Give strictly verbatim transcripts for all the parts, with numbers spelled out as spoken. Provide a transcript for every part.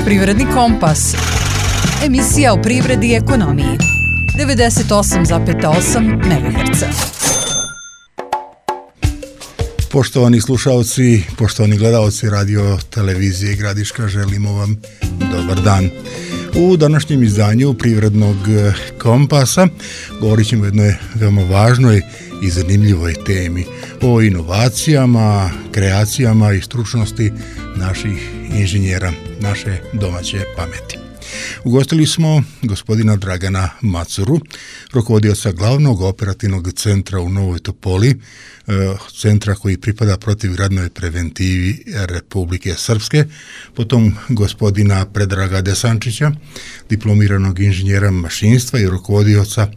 Privredni kompas. Emisija o privredi i ekonomiji. devedeset osam zarez osam megaherca. Poštovani slušalci, poštovani gledalci radio televizije Gradiška, želimo vam dobar dan. U današnjem izdanju Privrednog kompasa govorit ćemo o jednoj veoma važnoj i zanimljivoj temi, o inovacijama, kreacijama i stručnosti naših inženjera, naše domaće pameti. Ugostili smo gospodina Dragana Macuru, rukovodioca glavnog operativnog centra u Novoj Topoli, centra koji pripada protivgradnoj preventivi Republike Srpske, potom gospodina Predraga Desančića, diplomiranog inženjera mašinstva i rukovodioca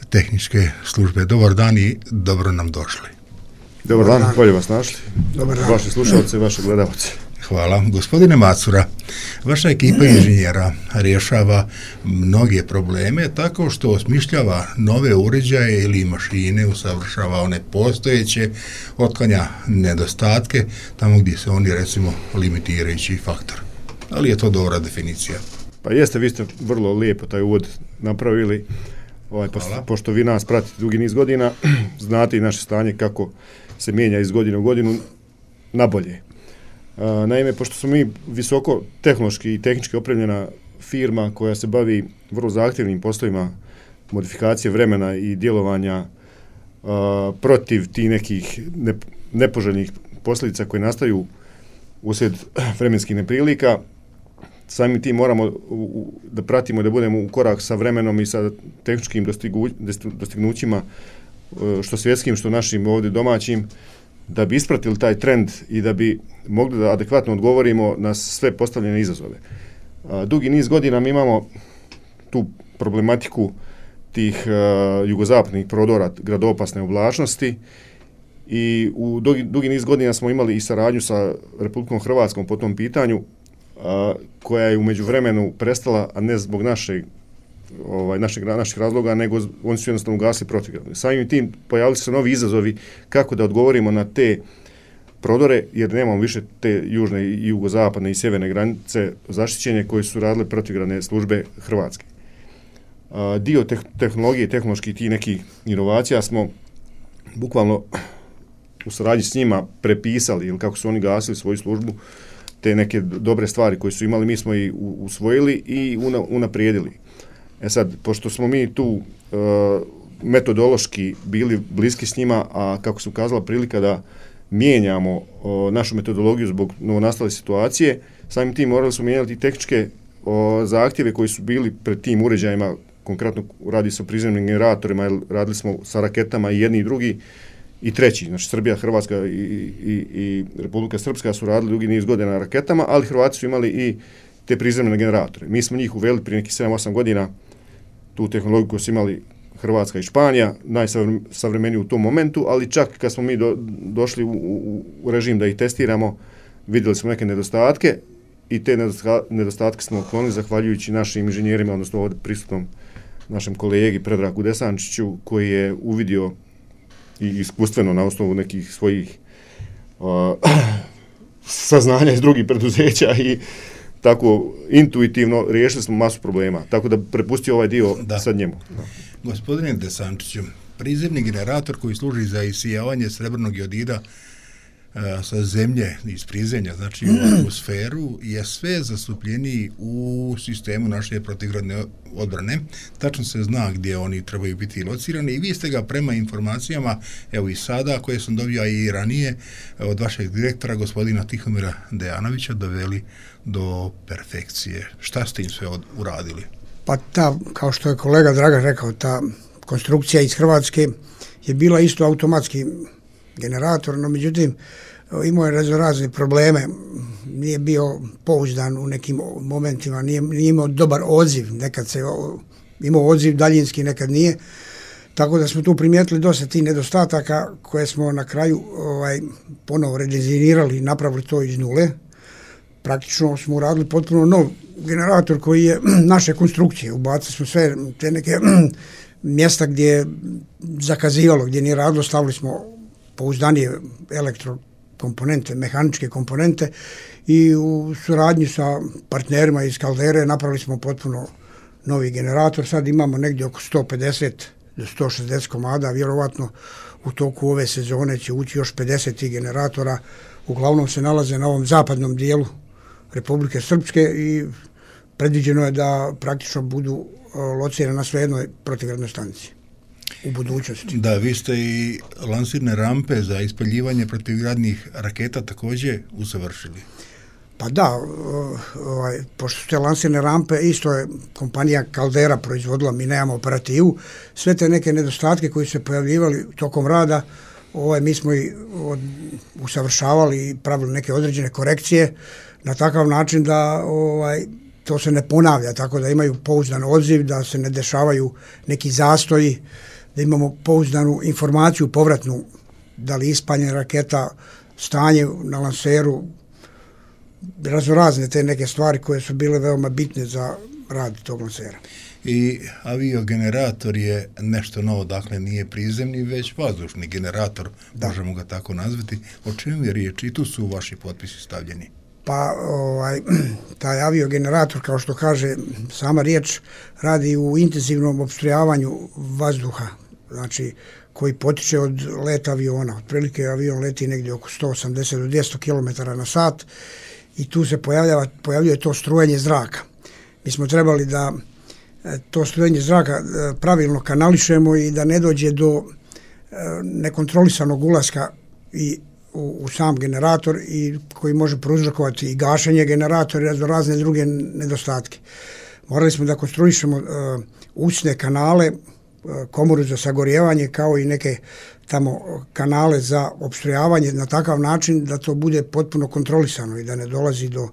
tehničke službe. Dobar dan i dobro nam došli. Dobar dan, bolje vas našli. Dobar dan. Vaši slušalci, vaši gledalci. Hvala. Gospodine Macura, vaša ekipa inženjera rješava mnoge probleme tako što osmišljava nove uređaje ili mašine, usavršava one postojeće, otklanja nedostatke tamo gdje se oni, recimo, limitirajući faktor. Ali je to dobra definicija? Pa jeste, vi ste vrlo lijepo taj uvod napravili, ovaj, pošto, pošto vi nas pratite dugi niz godina, znate i naše stanje kako se mijenja iz godine u godinu na bolje. Naime, pošto smo mi visoko tehnološki i tehnički opremljena firma koja se bavi vrlo zahtjevnim poslovima modifikacije vremena i djelovanja a, protiv tih nekih ne, nepoželjnih posljedica koje nastaju uslijed vremenskih neprilika, samim tim moramo u, u, da pratimo i da budemo u korak sa vremenom i sa tehničkim dostigu, dostignućima, što svjetskim, što našim ovdje domaćim, da bi ispratili taj trend i da bi mogli da adekvatno odgovorimo na sve postavljene izazove. A, dugi niz godina mi imamo tu problematiku tih a, jugozapadnih prodora gradopasne oblačnosti i u dugi, dugi niz godina smo imali i saradnju sa Republikom Hrvatskom po tom pitanju, a, koja je u međuvremenu prestala, a ne zbog našeg Ovaj, naših, naših razloga, nego oni su jednostavno ugasili protivgradno. Samim tim pojavili se novi izazovi kako da odgovorimo na te prodore, jer nemamo više te južne i jugozapadne i sjeverne granice zaštićenje koje su radile protivgradne službe Hrvatske. A, dio te, tehnologije i tehnoloških tih nekih inovacija smo bukvalno u saradnji s njima prepisali, ili kako su oni gasili svoju službu, te neke dobre stvari koje su imali, mi smo i usvojili i una, unaprijedili. E sad, pošto smo mi tu uh, metodološki bili bliski s njima, a kako su kazala prilika da mijenjamo uh, našu metodologiju zbog novonastale situacije, samim tim morali smo mijenjati tehničke uh, zahtjeve koji su bili pred tim uređajima, konkretno radi se o prizemnim generatorima, radili smo sa raketama i jedni i drugi i treći, znači Srbija, Hrvatska i, i, i Republika Srpska su radili dugi niz godina na raketama, ali Hrvati su imali i te prizemne generatore. Mi smo njih uveli prije nekih sedam osam godina, tu tehnologiju koju su imali Hrvatska i Španija, najsavremeniju u tom momentu, ali čak kad smo mi do, došli u, u, u režim da ih testiramo, vidjeli smo neke nedostatke i te nedostatke smo otklonili zahvaljujući našim inženjerima, odnosno ovdje prisutnom našem kolegi Predragu Desančiću, koji je uvidio i iskustveno na osnovu nekih svojih uh, saznanja iz drugih preduzeća i tako intuitivno riješili smo masu problema, tako da prepustio ovaj dio da. Sad njemu. Da. Gospodine Desančiću, prizemni generator koji služi za isijavanje srebrnog jodida a, sa zemlje iz prizemlja, znači u atmosferu, je sve zastupljeniji u sistemu naše protivgradne odbrane. Tačno se zna gdje oni trebaju biti locirani i vi ste ga prema informacijama, evo i sada, koje sam dobio i ranije od vašeg direktora, gospodina Tihomira Dejanovića, doveli do perfekcije. Šta ste im sve od, uradili? Pa ta, kao što je kolega Dragan rekao, ta konstrukcija iz Hrvatske je bila isto automatski generator, no međutim imao je razne probleme, nije bio pouzdan u nekim momentima, nije, nije imao dobar odziv, nekad se imao odziv daljinski, nekad nije, tako da smo tu primijetili dosta tih nedostataka koje smo na kraju ovaj, ponovo redizajnirali i napravili to iz nule. Praktično smo uradili potpuno nov generator koji je naše konstrukcije, ubacili smo sve te neke mjesta gdje je zakazivalo, gdje nije radilo, stavili smo pouzdanije elektro komponente, mehaničke komponente i u suradnji sa partnerima iz Kaldere napravili smo potpuno novi generator. Sad imamo negdje oko sto pedeset do sto šezdeset komada, vjerovatno u toku ove sezone će ući još pedeset tih generatora. Uglavnom se nalaze na ovom zapadnom dijelu Republike Srpske i predviđeno je da praktično budu locirane na sve jednoj protivgradnoj stanici u budućnosti. Da, vi ste i lansirne rampe za ispaljivanje protivgradnih raketa također usavršili. Pa da, ovaj, pošto su te lansirne rampe, isto je kompanija Kaldera proizvodila, mi nemamo operativu, sve te neke nedostatke koji su se pojavljivali tokom rada, ovaj, mi smo i od, usavršavali i pravili neke određene korekcije na takav način da ovaj, to se ne ponavlja, tako da imaju pouzdan odziv, da se ne dešavaju neki zastoji, da imamo pouzdanu informaciju povratnu, da li ispaljena raketa, stanje na lanseru, raznorazne te neke stvari koje su bile veoma bitne za rad tog lansera. I aviogenerator je nešto novo, dakle nije prizemni, već vazdušni generator, da. Možemo ga tako nazvati. O čemu je riječ? I tu su vaši potpisi stavljeni. Pa ovaj, taj aviogenerator, kao što kaže sama riječ, radi u intenzivnom opstrojavanju vazduha, znači koji potiče od leta aviona. Otprilike avion leti negdje oko sto osamdeset do dvjesto kilometara na sat i tu se pojavljava, pojavljuje to strujenje zraka. Mi smo trebali da to strujenje zraka pravilno kanališemo i da ne dođe do nekontrolisanog ulaska i u, u sam generator i koji može prouzrokovati i gašenje generatora i razne druge nedostatke. Morali smo da konstruišemo uh, usne kanale, uh, komoru za sagorjevanje kao i neke tamo kanale za opstrojavanje na takav način da to bude potpuno kontrolisano i da ne dolazi do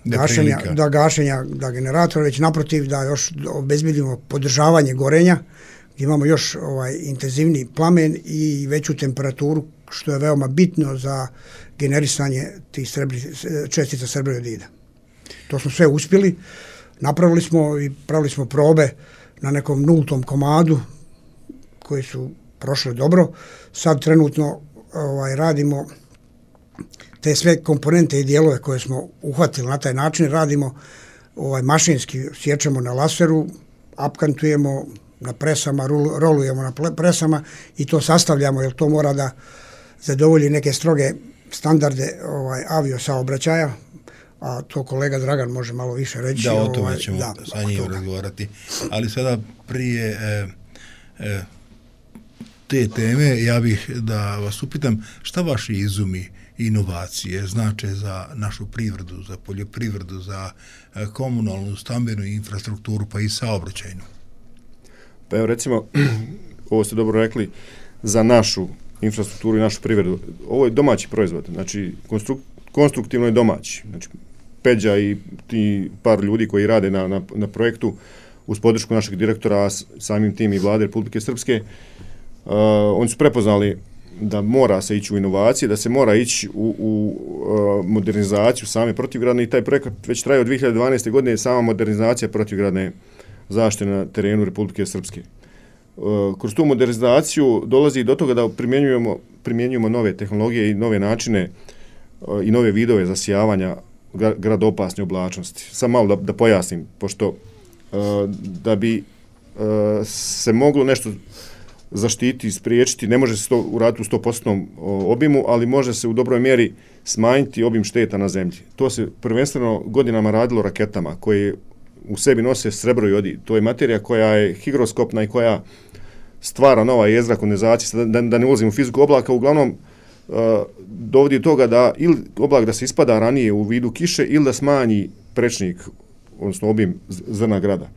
gašenja, da gašenja da generatora, već naprotiv da još obezbedimo podržavanje gorenja, gdje imamo još ovaj intenzivni plamen i veću temperaturu, što je veoma bitno za generisanje tih srebri, čestica srebroiodida. To smo sve uspjeli, napravili smo i pravili smo probe na nekom nultom komadu koji su prošle dobro. Sad trenutno ovaj, radimo te sve komponente i dijelove koje smo uhvatili na taj način, radimo ovaj, mašinski, sjećamo na laseru, apkantujemo na presama, rolujemo na presama i to sastavljamo, jer to mora da zadovolji neke stroge standarde ovaj, avio saobraćaja, a to kolega Dragan može malo više reći. Da, o tome ovaj, ćemo da, sa njim razgovarati. Ali sada prije e, e, te teme, ja bih da vas upitam šta vaši izumi inovacije znače za našu privredu, za poljoprivredu, za e, komunalnu, stambenu infrastrukturu, pa i saobraćajnu. Pa evo recimo, ovo ste dobro rekli, za našu infrastrukturu i našu privredu. Ovo je domaći proizvod, znači konstruk, konstruktivno je domaći. Znači, Peđa i ti par ljudi koji rade na, na, na projektu uz podršku našeg direktora, a samim tim i vlade Republike Srpske, uh, oni su prepoznali da mora se ići u inovacije, da se mora ići u, u uh, modernizaciju same protivgradne i taj projekat već traje od dvije hiljade dvanaeste. godine, sama modernizacija protivgradne zaštite na terenu Republike Srpske. Uh, kroz tu modernizaciju dolazi do toga da primjenjujemo, primjenjujemo nove tehnologije i nove načine uh, i nove vidove zasijavanja gradopasne oblačnosti. Sam malo da, da pojasnim, pošto uh, da bi uh, se moglo nešto zaštiti, spriječiti, ne može se to uraditi u sto posto obimu, ali može se u dobroj mjeri smanjiti obim šteta na zemlji. To se prvenstveno godinama radilo raketama koje u sebi nose srebroiodid. To je materija koja je higroskopna i koja stvara nova jezgra kondenzacije, da, da ne ulazim u fiziku oblaka, uglavnom uh, dovodi do toga da ili oblak da se ispada ranije u vidu kiše ili da smanji prečnik, odnosno obim zrna grada.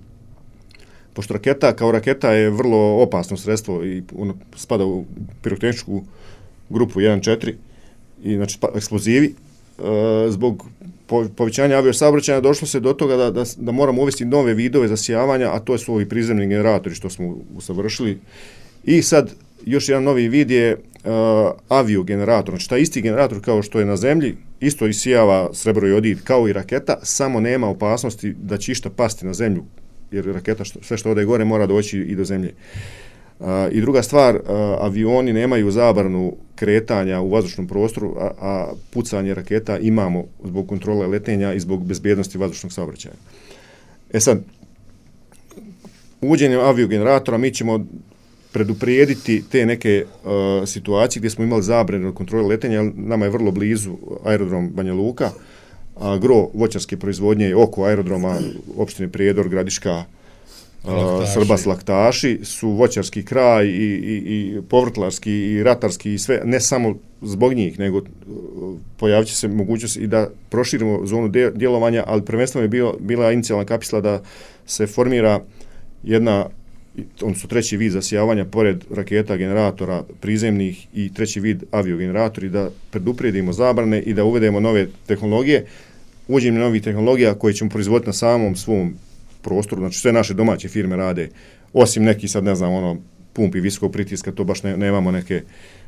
Pošto raketa kao raketa je vrlo opasno sredstvo i ono spada u pirotehničku grupu jedan četiri i znači eksplozivi, uh, zbog povećanja aviosaobraćaja došlo se do toga da, da, da moramo uvesti nove vidove zasijavanja, a to su ovi prizemni generatori što smo usavršili. I sad još jedan novi vid je uh, aviogenerator. Znači taj isti generator kao što je na zemlji, isto isijava srebroiodid kao i raketa, samo nema opasnosti da će išta pasti na zemlju, jer raketa što, sve što ode gore mora doći i do zemlje. A, I druga stvar, a, avioni nemaju zabranu kretanja u vazdušnom prostoru, a, a pucanje raketa imamo zbog kontrole letenja i zbog bezbjednosti vazdušnog saobraćaja. E sad, uvođenjem aviogeneratora mi ćemo preduprijediti te neke uh, situacije gdje smo imali zabranu kontrole letenja. Nama je vrlo blizu aerodrom Banja Luka, a gro voćarske proizvodnje je oko aerodroma opštine Prijedor, Gradiška, Uh, Srbas, Laktaši su voćarski kraj i, i, i povrtlarski i ratarski i sve, ne samo zbog njih, nego uh, pojavit će se mogućnost i da proširimo zonu de, djelovanja, ali prvenstveno je bio, bila inicijalna kapisla da se formira jedna, odnosno treći vid zasijavanja pored raketa, generatora prizemnih i treći vid aviogeneratori, da preduprijedimo zabrane i da uvedemo nove tehnologije, uvođenjem novih tehnologija koje ćemo proizvoditi na samom svom prostoru, znači sve naše domaće firme rade, osim neki sad ne znam, ono, pumpi visokog pritiska, to baš ne, nemamo neke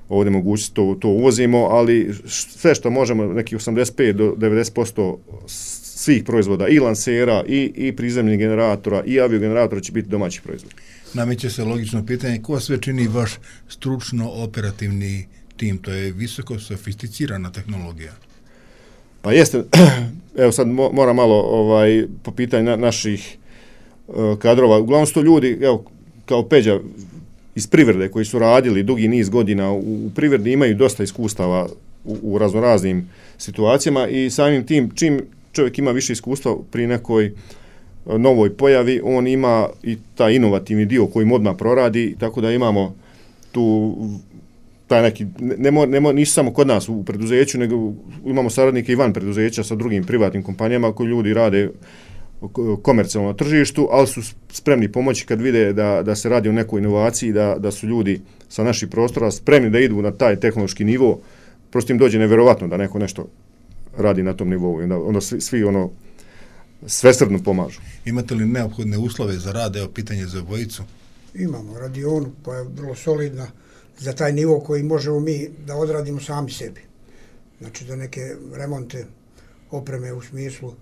ovdje mogućnosti, to, to uvozimo, ali sve što možemo, neki osamdeset pet do devedeset posto svih proizvoda, i lansera, i, i prizemnih generatora, i aviogeneratora će biti domaći proizvod. Nameće se logično pitanje, ko sve čini vaš stručno-operativni tim, to je visoko sofisticirana tehnologija? Pa jeste, evo sad moram malo ovaj, po pitanju na, naših uh, kadrova, uglavnom su to ljudi, evo, kao Peđa iz privrede koji su radili dugi niz godina u, u privredi, imaju dosta iskustava u, u raznoraznim situacijama i samim tim, čim čovjek ima više iskustva pri nekoj uh, novoj pojavi, on ima i taj inovativni dio koji mu odmah proradi, tako da imamo tu taj neki, ne, ne, ne, nisu samo kod nas u preduzeću, nego imamo saradnike i van preduzeća sa drugim privatnim kompanijama koji ljudi rade komercijalno na tržištu, ali su spremni pomoći kad vide da, da se radi o nekoj inovaciji, da, da su ljudi sa naših prostora spremni da idu na taj tehnološki nivo, prosto im dođe nevjerovatno da neko nešto radi na tom nivou i onda, onda svi, svi ono svesrdno pomažu. Imate li neophodne uslove za rad, evo pitanje za obojicu? Imamo radionu koja je vrlo solidna za taj nivo koji možemo mi da odradimo sami sebi. Znači za neke remonte, opreme u smislu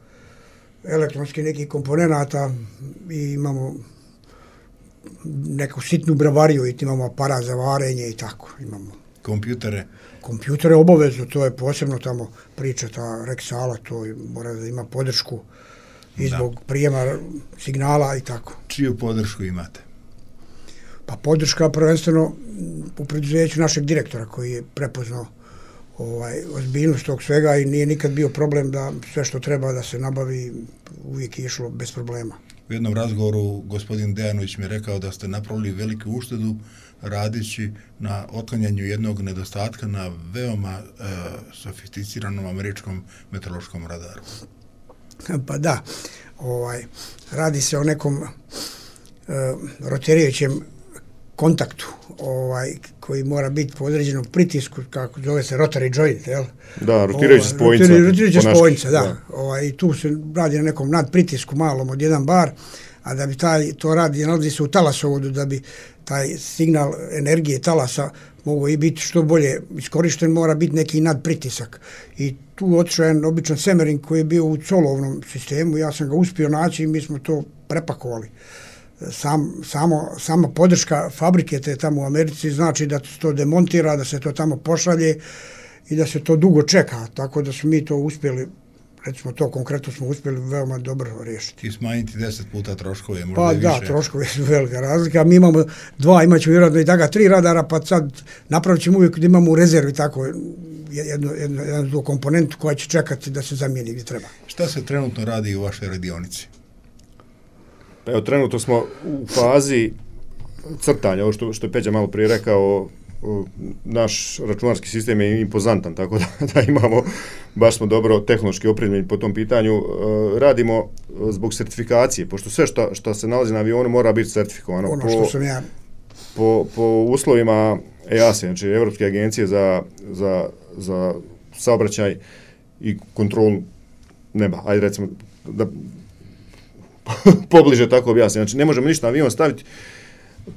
elektronskih nekih komponenata i imamo neku sitnu bravariju i imamo aparat za varenje i tako. Imamo kompjutere? Kompjutere obavezno, to je posebno tamo priča, ta Rexala, to mora da ima podršku i zbog da. Prijema signala i tako. Čiju podršku imate? Pa podrška prvenstveno u preduzeću našeg direktora koji je prepoznao ovaj, ozbiljnost tog svega i nije nikad bio problem da sve što treba da se nabavi uvijek je išlo bez problema. U jednom razgovoru gospodin Dejanović mi je rekao da ste napravili veliku uštedu radići na otklanjanju jednog nedostatka na veoma e, sofisticiranom američkom meteorološkom radaru. Pa da, ovaj, radi se o nekom e, rotirajućem kontaktu ovaj, koji mora biti po određenom pritisku, kako zove se rotary joint, jel? Da, rotirajuća spojnica. Rotirajuća spojnica, da. da. Ovaj, I tu se radi na nekom nadpritisku malom od jedan bar, a da bi taj, to radi, nalazi se u talasovodu, da bi taj signal energije talasa mogo i biti što bolje iskorišten, mora biti neki nadpritisak. I tu otišao jedan običan semerin koji je bio u colovnom sistemu, ja sam ga uspio naći i mi smo to prepakovali. Sam, samo, sama podrška fabrike te tamo u Americi znači da se to demontira, da se to tamo pošalje i da se to dugo čeka, tako da smo mi to uspjeli, recimo to konkretno smo uspjeli veoma dobro riješiti. I smanjiti deset puta troškove, možda pa i više. Pa da, troškove su velika razlika, mi imamo dva, imat ćemo vjerojatno i taka tri radara, pa sad napravit ćemo uvijek da imamo u rezervi tako jednu, jednu, jednu komponentu koja će čekati da se zamijeni gdje treba. Šta se trenutno radi u vašoj radionici? Evo, trenutno smo u fazi crtanja, ovo što, što je Peđa malo prije rekao, naš računarski sistem je impozantan, tako da, da imamo, baš smo dobro tehnološki opremljeni po tom pitanju. Radimo zbog certifikacije, pošto sve što, što se nalazi na avionu mora biti certifikovano. Ono po, što sam ja. Po, po uslovima E A S E, znači Evropske agencije za, za, za saobraćaj i kontrolu neba. Ajde recimo da pobliže tako objasnim. Znači, ne možemo ništa na avion staviti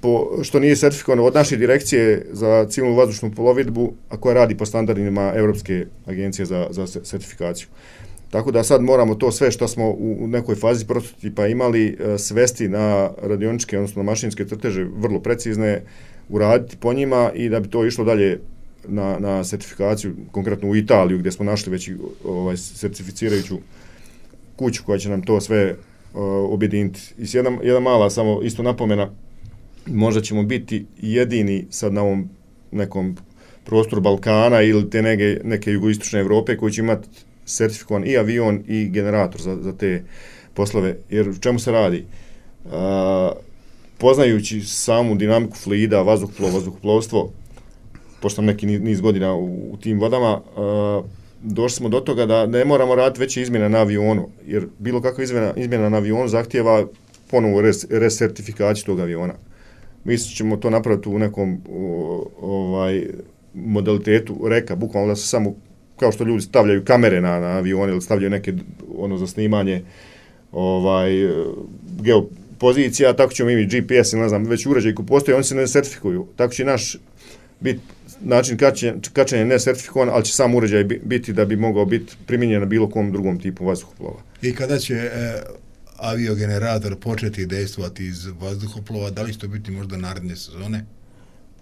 po, što nije sertifikovano od naše direkcije za civilnu vazdušnu plovidbu, a koja radi po standardima Europske agencije za, za sertifikaciju. Tako da sad moramo to sve što smo u nekoj fazi prototipa imali svesti na radioničke, odnosno na mašinske crteže vrlo precizne, uraditi po njima i da bi to išlo dalje na, na certifikaciju, konkretno u Italiju gdje smo našli već ovaj, certificirajuću kuću koja će nam to sve uh, objediniti. I jedna, jedna mala samo isto napomena, možda ćemo biti jedini sad na ovom nekom prostoru Balkana ili te neke, neke jugoistočne Evrope koji će imati certifikovan i avion i generator za, za te poslove. Jer u čemu se radi? Uh, poznajući samu dinamiku fluida, vazduhoplov, vazduhoplovstvo, pošto sam neki niz godina u, u tim vodama, uh, došli smo do toga da ne moramo raditi veće izmjene na avionu, jer bilo kakva izmjena, izmjena na avionu zahtijeva ponovo res, resertifikaciju tog aviona. Mi ćemo to napraviti u nekom o, ovaj modalitetu reka, bukvalno da se samo, kao što ljudi stavljaju kamere na, na avione ili stavljaju neke ono za snimanje ovaj geopozicija, tako ćemo imati G P S ili ne znam, već uređaj koji postoje, oni se ne sertifikuju. Tako će naš biti način kačenja, kačenja ne sertifikovan, ali će sam uređaj biti da bi mogao biti primijenjen na bilo kom drugom tipu vazduhoplova. I kada će e, aviogenerator početi dejstvovati iz vazduhoplova, da li će to biti možda naredne sezone?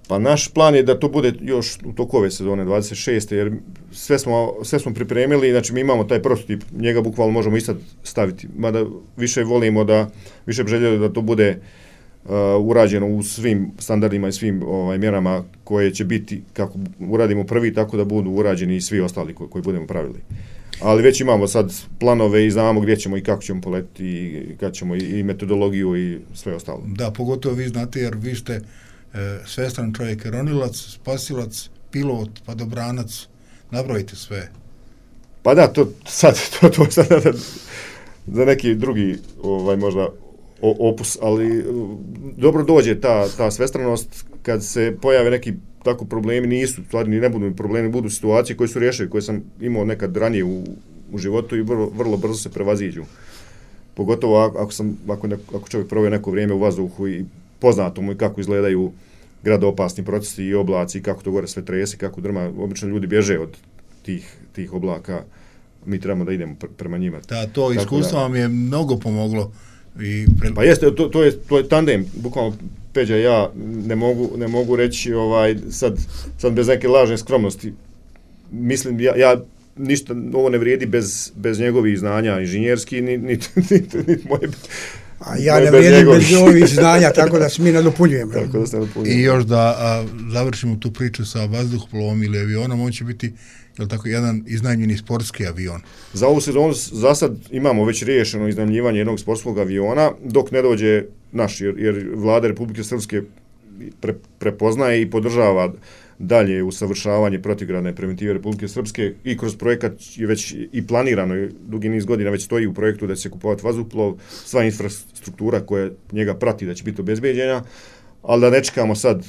Pa naš plan je da to bude još u toku ove sezone dvadeset šeste jer sve smo, sve smo pripremili, znači mi imamo taj prototip, njega bukvalno možemo i sad staviti, mada više volimo da, više bi željeli da to bude uh, urađeno u svim standardima i svim ovaj, mjerama koje će biti, kako uradimo prvi, tako da budu urađeni i svi ostali koji, koji budemo pravili. Ali već imamo sad planove i znamo gdje ćemo i kako ćemo poletiti i kad ćemo i, i metodologiju i sve ostalo. Da, pogotovo vi znate jer vi ste e, svestran čovjek, ronilac, spasilac, pilot, padobranac, nabrojite sve. Pa da, to sad, to, to sad da, za neki drugi ovaj, možda opus, ali dobro dođe ta, ta svestranost kad se pojave neki tako problemi, nisu, stvari ni ne budu problemi, budu situacije koje su rješene, koje sam imao nekad ranije u, u životu i vrlo, vrlo brzo se prevaziđu. Pogotovo ako, sam, ako, ne, ako čovjek provije neko vrijeme u vazduhu i poznato mu i kako izgledaju gradoopasni procesi i oblaci, kako to gore sve trese, kako drma, obično ljudi bježe od tih, tih oblaka, mi trebamo da idemo prema njima. Da, to iskustvo vam je mnogo pomoglo. I pre... Pa jeste, to, to, je, to je tandem, bukvalno Peđa i ja ne mogu, ne mogu reći ovaj, sad, sad bez neke lažne skromnosti. Mislim, ja, ja ništa, ovo ne vrijedi bez, bez njegovih znanja inženjerski, ni, ni, ni, ni moje... A ja ne vrijedim bez ovih znanja, tako da se mi nadopunjujemo. Tako da se nadopunjujemo. I još da a, završimo tu priču sa vazduhoplovom ili avionom, on će biti jel tako, jedan iznajmljeni sportski avion. Za ovu sezonu za sad imamo već riješeno iznajmljivanje jednog sportskog aviona, dok ne dođe naš, jer, jer vlada Republike Srpske pre, prepoznaje i podržava dalje usavršavanje protivgradne preventive Republike Srpske i kroz projekat je već i planirano, dugi niz godina već stoji u projektu da će se kupovati vazduhoplov, sva infrastruktura koja njega prati da će biti obezbeđena, ali da ne čekamo sad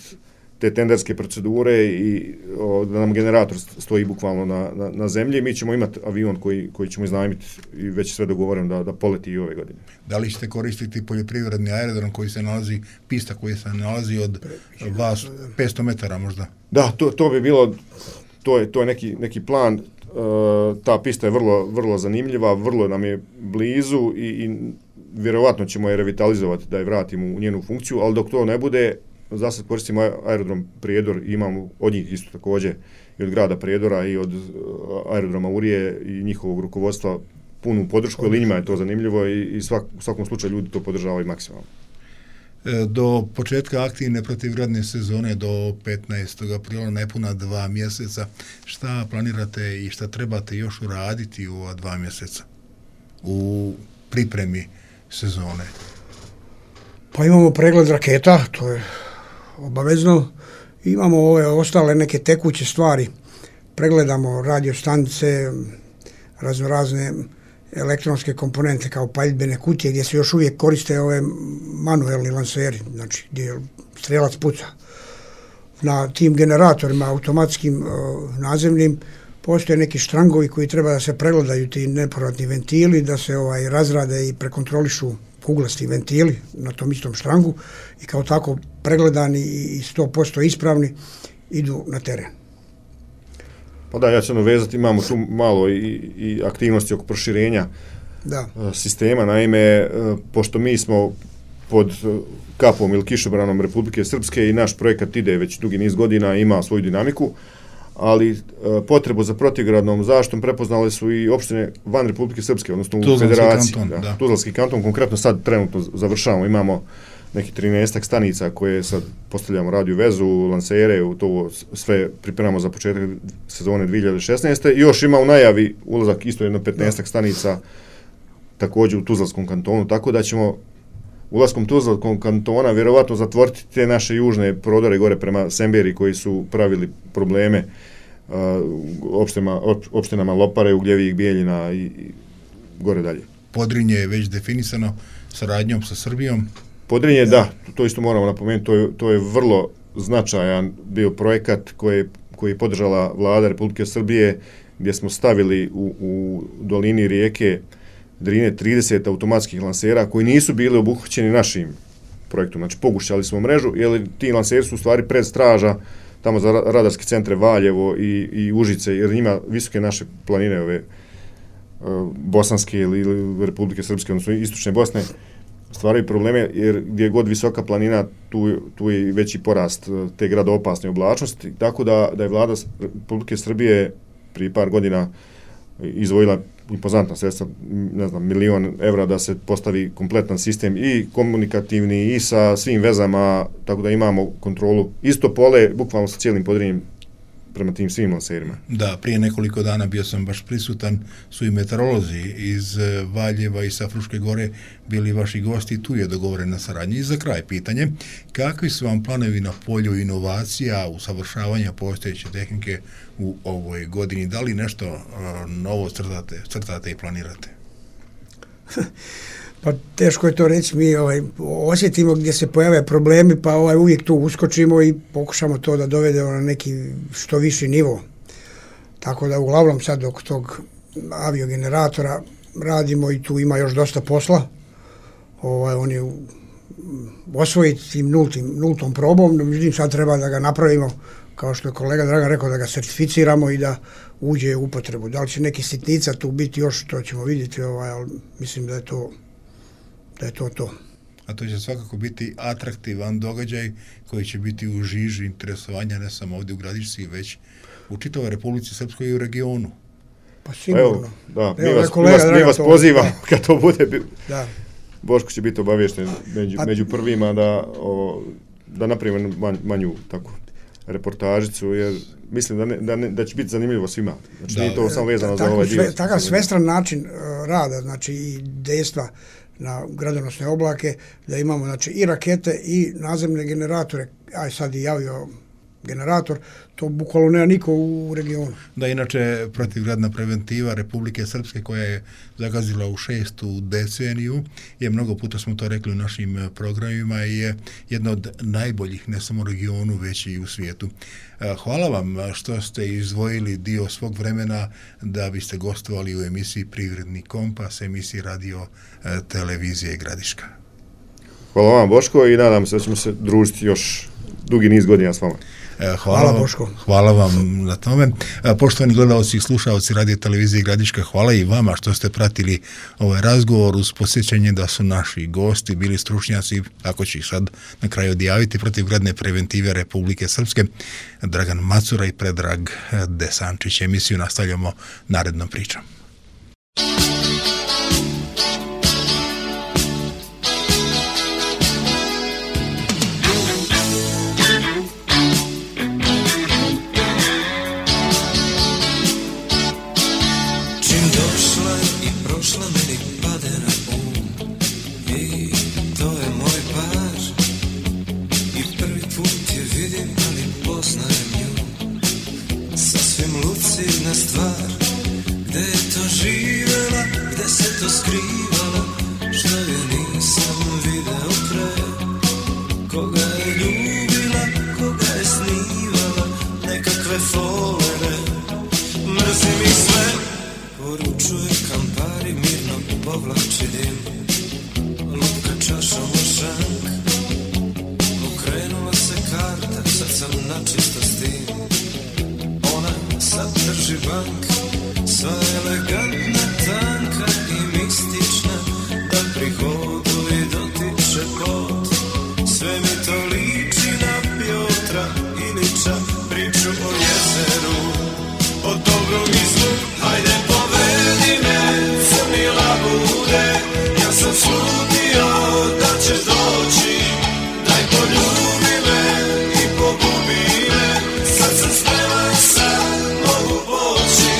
te tenderske procedure i o, da nam generator stoji bukvalno na, na, na zemlji, mi ćemo imati avion koji, koji ćemo iznajmiti i već sve dogovoreno da, da poleti i ove godine. Da li ćete koristiti poljoprivredni aerodrom koji se nalazi, pista koji se nalazi od vas petsto metara možda? Da, to, to bi bilo, to je, to je neki, neki plan, e, ta pista je vrlo, vrlo zanimljiva, vrlo nam je blizu i, i vjerovatno ćemo je revitalizovati da je vratimo u njenu funkciju, ali dok to ne bude, za sad koristimo aerodrom Prijedor i imamo od njih isto također i od grada Prijedora i od aerodroma Urije i njihovog rukovodstva punu podršku, jer njima je to zanimljivo i, i svak, u svakom slučaju ljudi to podržavaju maksimalno. Do početka aktivne protivgradne sezone do petnaestog aprila, nepuna dva mjeseca, šta planirate i šta trebate još uraditi u ova dva mjeseca u pripremi sezone? Pa imamo pregled raketa, to je obavezno. Imamo ove ostale neke tekuće stvari. Pregledamo radiostanice, raznorazne elektronske komponente kao paljbene kutije gdje se još uvijek koriste ove manuelni lanseri, znači gdje strelac puca. Na tim generatorima automatskim nazemnim postoje neki štrangovi koji treba da se pregledaju, ti nepovratni ventili, da se ovaj razrade i prekontrolišu kuglasti ventili na tom istom štrangu i kao tako pregledani i sto posto ispravni idu na teren. Pa da, ja ću ono vezati, imamo tu malo i, i aktivnosti oko proširenja da. sistema, naime, pošto mi smo pod kapom ili kišobranom Republike Srpske i naš projekat ide već dugi niz godina, ima svoju dinamiku, ali e, potrebu za protivgradnom zaštitom prepoznale su i opštine van Republike Srpske, odnosno u Tuzlanski federaciji. kanton, da, da. Tuzlanski kanton, konkretno sad trenutno završavamo, imamo neki trinaestak stanica koje sad postavljamo radio vezu, lansere, u to sve pripremamo za početak sezone dvije hiljade šesnaeste. I još ima u najavi ulazak isto jedno petnaestak stanica također u Tuzlanskom kantonu, tako da ćemo ulaskom Tuzlanskog kantona vjerovatno zatvoriti te naše južne prodore gore prema Semberi koji su pravili probleme uh, opštinama, opštinama Lopare, Ugljevik, Bijeljina i, i gore dalje. Podrinje je već definisano saradnjom sa Srbijom. Podrinje, da, da to isto moramo napomenuti, to je, to je vrlo značajan bio projekat koji, koji je podržala vlada Republike Srbije, gdje smo stavili u, u dolini rijeke Drine trideset automatskih lansera koji nisu bili obuhvaćeni našim projektom. Znači, pogušćali smo mrežu, jer ti lanseri su u stvari predstraža tamo za radarske centre Valjevo i, i Užice, jer ima visoke naše planine ove uh, bosanske ili, ili Republike Srpske, odnosno istočne Bosne, stvaraju probleme, jer gdje je god visoka planina, tu, tu je veći porast te gradoopasne oblačnosti, tako da, da je vlada Republike Srbije prije par godina izdvojila impozantna sredstva, ne znam, milion evra da se postavi kompletan sistem i komunikativni i sa svim vezama, tako da imamo kontrolu. Isto pole, bukvalno sa cijelim Podrinjem prema tim svim lanserima. Da, prije nekoliko dana bio sam baš prisutan, su i meteorolozi iz Valjeva i sa Fruške gore bili vaši gosti i tu je dogovorena saradnja. I za kraj pitanje, kakvi su vam planovi na polju inovacija, usavršavanja postojeće tehnike u ovoj godini? Da li nešto uh, novo crtate, crtate i planirate? Pa teško je to reći, mi ovaj, osjetimo gdje se pojave problemi, pa ovaj, uvijek tu uskočimo i pokušamo to da dovedemo na neki što viši nivo. Tako da uglavnom sad oko tog aviogeneratora radimo i tu ima još dosta posla. Ovaj, on je osvojiti tim nultim, nultom probom, međutim sad treba da ga napravimo, kao što je kolega Dragan rekao, da ga certificiramo i da uđe u upotrebu. Da li će neki sitnica tu biti još, to ćemo vidjeti, ovaj, ali mislim da je to da je to to. A to će svakako biti atraktivan događaj koji će biti u žiži interesovanja ne samo ovdje u Gradišci, već u čitavoj Republici Srpskoj i u regionu. Pa sigurno. Evo, da, mi Evo, vas, kolega, mi vas, mi vas to, pozivamo kad to bude. Da. Boško će biti obavješten među, pa, među prvima da, o, da napravimo manj, manju tako reportažicu, jer mislim da, ne, da, ne, da će biti zanimljivo svima. Znači, da, nije to samo vezano za ovaj dio. Sve, takav svestran način uh, rada, znači i dejstva na gradonosne oblake, da imamo znači i rakete i nazemne generatore, aj sad i javio generator, to bukvalno nema niko u regionu. Da, inače protivgradna preventiva Republike Srpske koja je zagazila u šestu deceniju, je mnogo puta smo to rekli u našim programima i je jedna od najboljih ne samo u regionu, već i u svijetu. Hvala vam što ste izdvojili dio svog vremena da biste gostovali u emisiji Privredni kompas, emisiji radio televizije Gradiška. Hvala vam, Boško, i nadam se da ćemo se družiti još dugi niz godina s vama. Hvala, hvala Boško. Hvala vam na tome. Poštovani gledalci i slušalci radio televizije Gradiška, hvala i vama što ste pratili ovaj razgovor uz posjećanje da su naši gosti bili stručnjaci, ako će ih sad na kraju odjaviti, protivgradne preventive Republike Srpske, Dragan Macura i Predrag Desančić. Emisiju nastavljamo narednom pričom. Sad drži uživank, sva elegantna, tanka i mistična, da prihodu i dotiče pot. Sve mi to liči na Pjotra Ilića, priču o jezeru, o dobrom i zlu. Hajde povedi me, crni labude, ja sam slutio da ćeš doći. Daj poljubi me i pogubi me, sad sam spreman, sad mogu poći.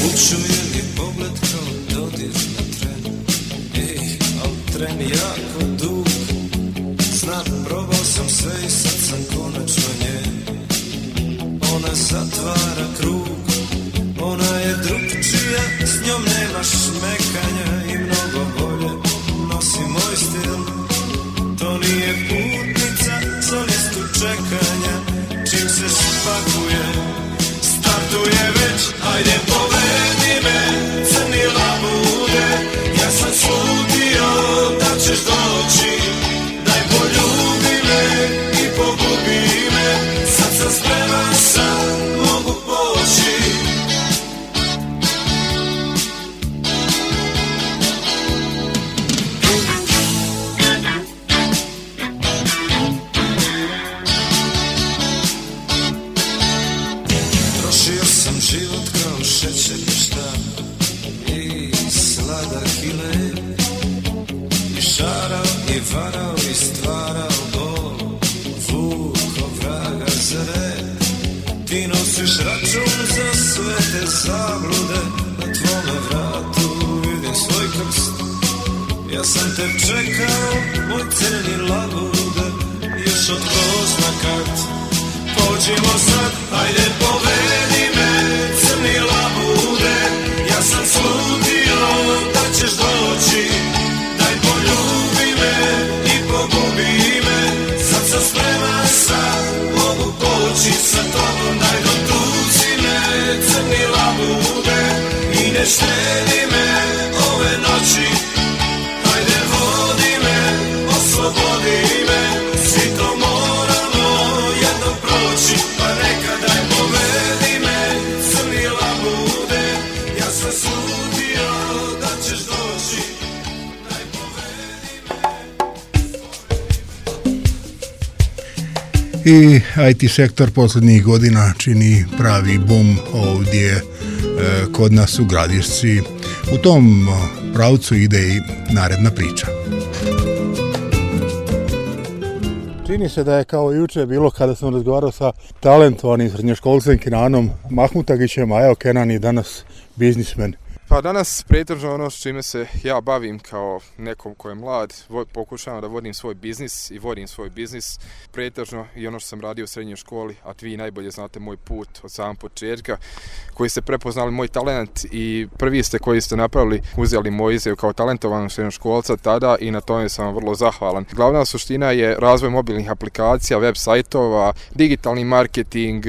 Učuje mi pogled kao dodir na tren, ej, al tren jako dug. Znam, probao sam sve i sad sam konačno nje. Ona zatvara krug, ona je drugčija, s njom nema šmekanja i mnogo bolje nosi moj stil. To nije putnica za listu čekanja, čim se spakuje, startuje već. Ajde povedi me, crni labude, ja sam slutio da ćeš doći. Daj poljubi me i pogubi me, sad sam spreman, sad mogu poći. Trošio sam život kao šećerni štap i sladak i lep, i šarao i varao i stvarao bol, vuko vraga za red. Ti nosiš račun za sve te zablude, na tvome vratu vidim svoj krst. Ja sam te čekao, moj crni labude, još od ko zna kad. Pođimo sad, ajde povedi me, crni labude, ja sam slutio da ćeš doći. Daj poljubi me i pogubi me, sad sam spreman, sad mogu poći sa tobom. Daj dotuci me, crni labude, i ne štedi me ove noći. Hajde vodi me, oslobodi me, svi to moramo jednom proći. Pa neka daj povedi me, crni labude, ja sam slutio da ćeš doći. Daj povedi me. I I T sektor posljednjih godina čini pravi bum ovdje e, kod nas u Gradišci. U tom pravcu ide i naredna priča. Čini se da je kao juče bilo kada sam razgovarao sa talentovanim srednjoškolcem Kenanom Mahmutagićem, a evo Kenan je danas biznismen. Pa danas pretežno ono s čime se ja bavim kao nekom ko je mlad, pokušavam da vodim svoj biznis i vodim svoj biznis pretežno i ono što sam radio u srednjoj školi, a vi najbolje znate moj put od samog početka, koji ste prepoznali moj talent i prvi ste koji ste napravili, uzeli moj izjav kao talentovanog srednjoškolca tada i na tome sam vam vrlo zahvalan. Glavna suština je razvoj mobilnih aplikacija, web sajtova, digitalni marketing,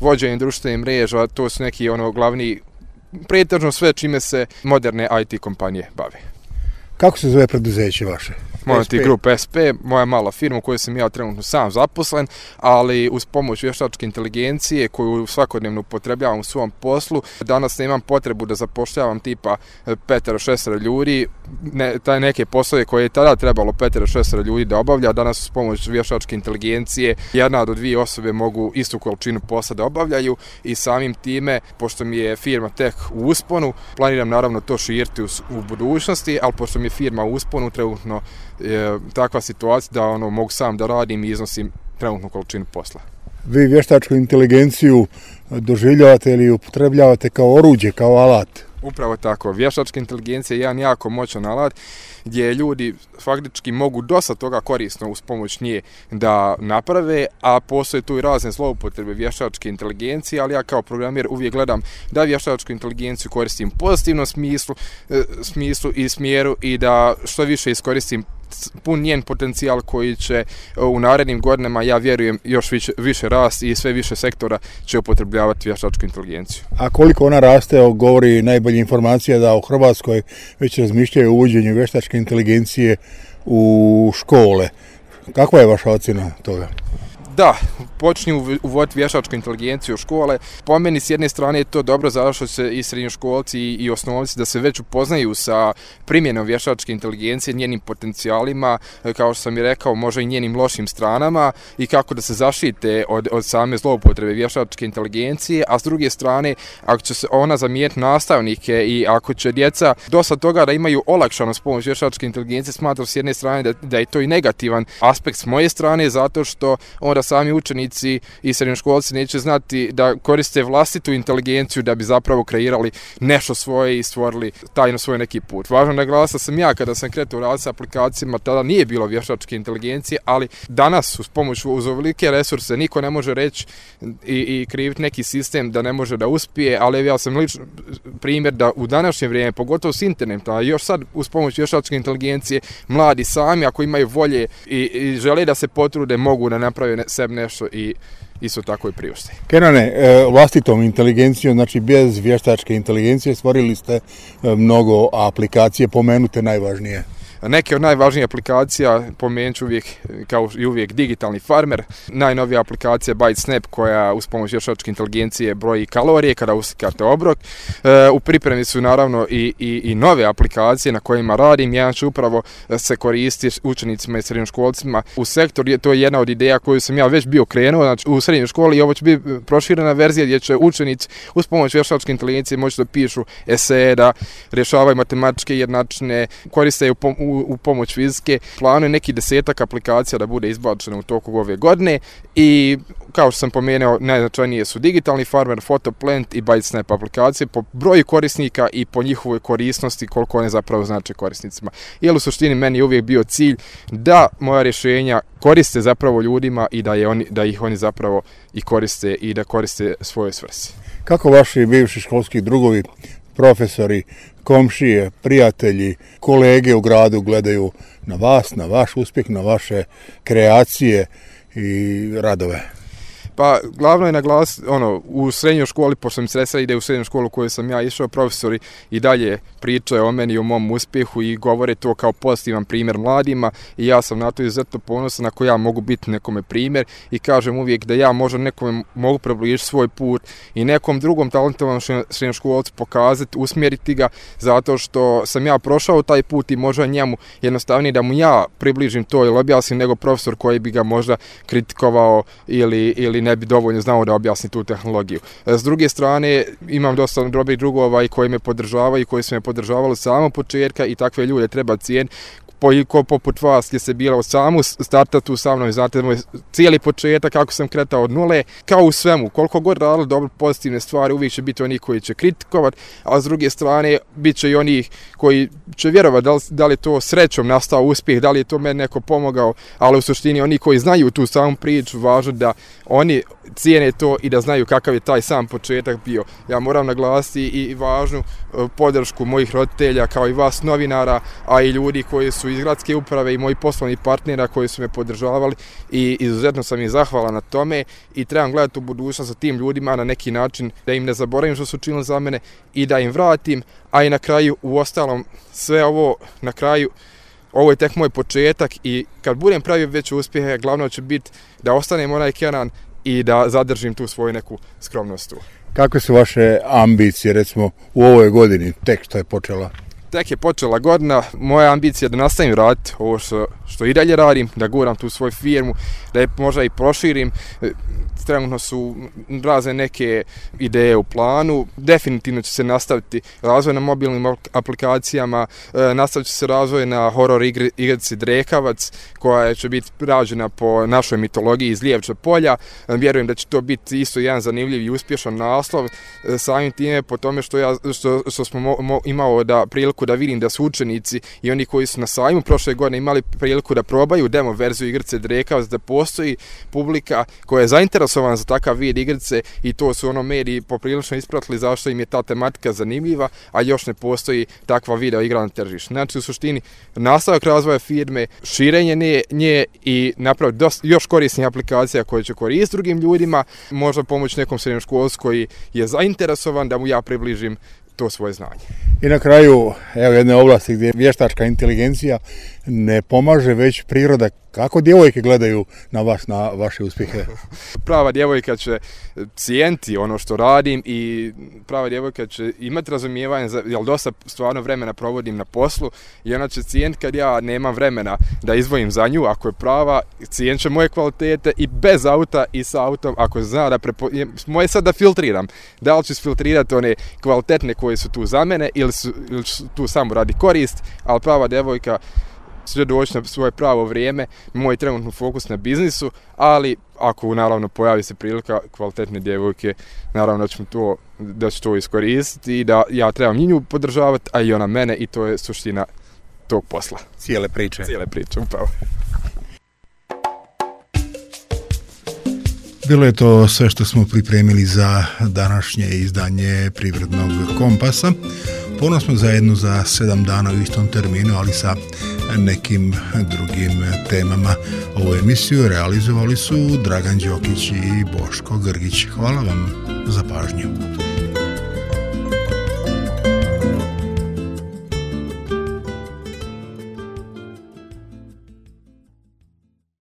vođenje društvenih mreža, to su neki ono glavni pretežno sve čime se moderne I T kompanije bave. Kako se zove preduzeće vaše? Monty Group S P, moja mala firma u kojoj sam ja trenutno sam zaposlen, ali uz pomoć vještačke inteligencije koju svakodnevno upotrebljavam u svom poslu, danas nemam potrebu da zapošljavam tipa petero šestero ljudi, ne, taj neke poslove koje je tada trebalo petero šestero ljudi da obavlja, danas uz pomoć vještačke inteligencije jedna do dvije osobe mogu istu količinu posla da obavljaju i samim time, pošto mi je firma tek u usponu, planiram naravno to širiti u, u budućnosti, ali pošto mi je firma u usponu, trenutno je takva situacija da ono mogu sam da radim i iznosim trenutnu količinu posla. Vi vještačku inteligenciju doživljavate ili upotrebljavate kao oruđe, kao alat? Upravo tako. Vještačka inteligencija je jedan jako moćan alat gdje ljudi faktički mogu dosta toga korisno uz pomoć nje da naprave, a postoje tu i razne zloupotrebe vještačke inteligencije, ali ja kao programer uvijek gledam da vještačku inteligenciju koristim u pozitivnom smislu, smislu i smjeru i da što više iskoristim pun njen potencijal koji će u narednim godinama, ja vjerujem, još više, više rast i sve više sektora će upotrebljavati vještačku inteligenciju. A koliko ona raste, govori najbolja informacija da u Hrvatskoj već razmišljaju o uvođenju vještačke inteligencije u škole. Kakva je vaša ocjena toga? Da, počinju uvoditi vještačku inteligenciju u škole. Po meni s jedne strane je to dobro zato što se i srednjoškolci i osnovci da se već upoznaju sa primjenom vještačke inteligencije, njenim potencijalima, kao što sam i rekao, možda i njenim lošim stranama i kako da se zaštite od, od same zloupotrebe vještačke inteligencije, a s druge strane, ako će se ona zamijeniti nastavnike i ako će djeca dosta toga da imaju olakšano s pomoć vještačke inteligencije, smatram s jedne strane da, da je to i negativan aspekt s moje strane, zato što onda sami učenici i srednjoškolci neće znati da koriste vlastitu inteligenciju da bi zapravo kreirali nešto svoje i stvorili tajno svoj neki put. Važno naglasiti da sam ja kada sam kretao raditi s aplikacijama, tada nije bilo vještačke inteligencije, ali danas uz pomoć uz ovolike resurse niko ne može reći i, i kriviti neki sistem da ne može da uspije, ali ja sam lično primjer da u današnje vrijeme, pogotovo s internetom, a još sad uz pomoć vještačke inteligencije, mladi sami ako imaju volje i, i žele da se potrude, mogu da naprave sebi nešto i isto tako i priušte. Kenane, vlastitom inteligencijom, znači bez vještačke inteligencije, stvorili ste mnogo aplikacije, pomenute najvažnije. Neke od najvažnijih aplikacija, pomenut ću uvijek, kao i uvijek, Digitalni farmer, najnovija aplikacija ByteSnap koja uz pomoć vještačke inteligencije broji kalorije kada uslikate obrok. E, u pripremi su naravno i, i, i nove aplikacije na kojima radim. Jedan će upravo se koristi učenicima i srednjoškolcima u sektoru. To je jedna od ideja koju sam ja već bio krenuo, znači u srednjoj školi, i ovo će biti proširena verzija gdje će učenici uz pomoć vještačke inteligencije moći da pišu eseje, da rješavaju matematičke jednačine, koriste u, u u pomoć fizike. Planu je neki desetak aplikacija da bude izbačeno u toku ove godine i kao što sam pomenuo, najznačajnije su Digitalni farmer, Photoplant i ByteSnap aplikacije po broju korisnika i po njihovoj korisnosti, koliko one zapravo znače korisnicima. Jer u suštini meni je uvijek bio cilj da moja rješenja koriste zapravo ljudima i da, je oni, da ih oni zapravo i koriste i da koriste svoje svrsi. Kako vaši bivši školski drugovi, profesori, komšije, prijatelji, kolege u gradu gledaju na vas, na vaš uspjeh, na vaše kreacije i radove? Pa glavno je naglasiti, ono, u srednjoj školi, pošto sam sredstva ide u srednju školu u kojoj sam ja išao, profesori i dalje pričaju o meni i o mom uspjehu i govore to kao pozitivan primjer mladima i ja sam na to izuzetno ponosan ako ja mogu biti nekome primjer i kažem uvijek da ja možda nekome mogu približiti svoj put i nekom drugom talentovom srednjoškolcu pokazati, usmjeriti ga zato što sam ja prošao taj put i možda njemu jednostavnije da mu ja približim to ili objasnim nego profesor koji bi ga možda kritikovao ili, ili ne bi dovoljno znao da objasni tu tehnologiju. S druge strane, imam dosta dobrih drugova i koji me podržavaju i koji su me podržavali samo početka i takve ljude treba cijeniti. Ko poput vas je se bila od samu startatu sa mnom, znate moj cijeli početak kako sam kretao od nule, kao u svemu, koliko god radili dobro pozitivne stvari, uvijek će biti oni koji će kritikovati, a s druge strane bit će i oni koji će vjerovati da li, da li je to srećom nastao uspjeh, da li je to meni neko pomogao, ali u suštini oni koji znaju tu samu priču, važno da oni cijene to i da znaju kakav je taj sam početak bio. Ja moram naglasiti i važnu podršku mojih roditelja kao i vas novinara, a i ljudi koji su iz gradske uprave i moji poslovni partnera koji su me podržavali i izuzetno sam im zahvalan na tome i trebam gledati u budućnost sa tim ljudima na neki način da im ne zaboravim što su učinili za mene i da im vratim, a i na kraju u ostalom sve ovo na kraju ovo je tek moj početak i kad budem pravio veće uspjehe, glavno će biti da ostanem onaj Kenan i da zadržim tu svoju neku skromnost tu. Kakve su vaše ambicije, recimo, u ovoj godini, tek što je počela? Tek je počela godina, moja ambicija je da nastavim raditi ovo što, što i dalje radim, da guram tu svoju firmu, da je možda i proširim. Trenutno su razne neke ideje u planu, definitivno će se nastaviti razvoj na mobilnim aplikacijama, nastavit će se razvoj na horor igri, igrici Drekavac, koja će biti rađena po našoj mitologiji iz Lijevča polja. Vjerujem da će to biti isto jedan zanimljiv i uspješan naslov, samim time po tome što, ja, što, što smo mo, mo, imao da priliku da vidim da su učenici i oni koji su na sajmu prošle godine imali priliku da probaju demo verziju igrice Drekavac, da postoji publika koja je zainteresovana za takav vid igrice i to su ono mediji poprilično ispratili zašto im je ta tematika zanimljiva, a još ne postoji takva video igra na tržištu. Znači u suštini nastavak razvoja firme, širenje nje, nje i napraviti dosta, još korisnih aplikacija koje će koristiti drugim ljudima, možda pomoći nekom srednjoškolcu koji je zainteresovan da mu ja približim to svoje znanje. I na kraju, evo jedne oblasti gdje vještačka inteligencija ne pomaže, već priroda. Kako djevojke gledaju na vas, na vaše uspjehe? Prava djevojka će cijeniti ono što radim i prava djevojka će imati razumijevanje, za, jer dosta stvarno vremena provodim na poslu i ona će cijeniti kad ja nemam vremena da izdvojim za nju, ako je prava, cijenit će moje kvalitete i bez auta i sa autom, ako zna da prepo... moje sad da filtriram, da li ću filtrirati one kvalitetne koje su tu za mene ili su, ili su tu samo radi korist, ali prava djevojka će doći na svoje pravo vrijeme, moj trenutno fokus na biznisu, ali ako naravno pojavi se prilika kvalitetne djevojke, naravno da ću to, da ću to iskoristiti i da ja trebam nju podržavati, a i ona mene, i to je suština tog posla. Cijele priče. Cijele priče, upravo. Bilo je to sve što smo pripremili za današnje izdanje Privrednog kompasa. Ponovno smo zajedno za sedam dana u istom terminu, ali sa nekim drugim temama. Ovu emisiju realizovali su Dragan Đokić i Boško Grgić. Hvala vam za pažnju.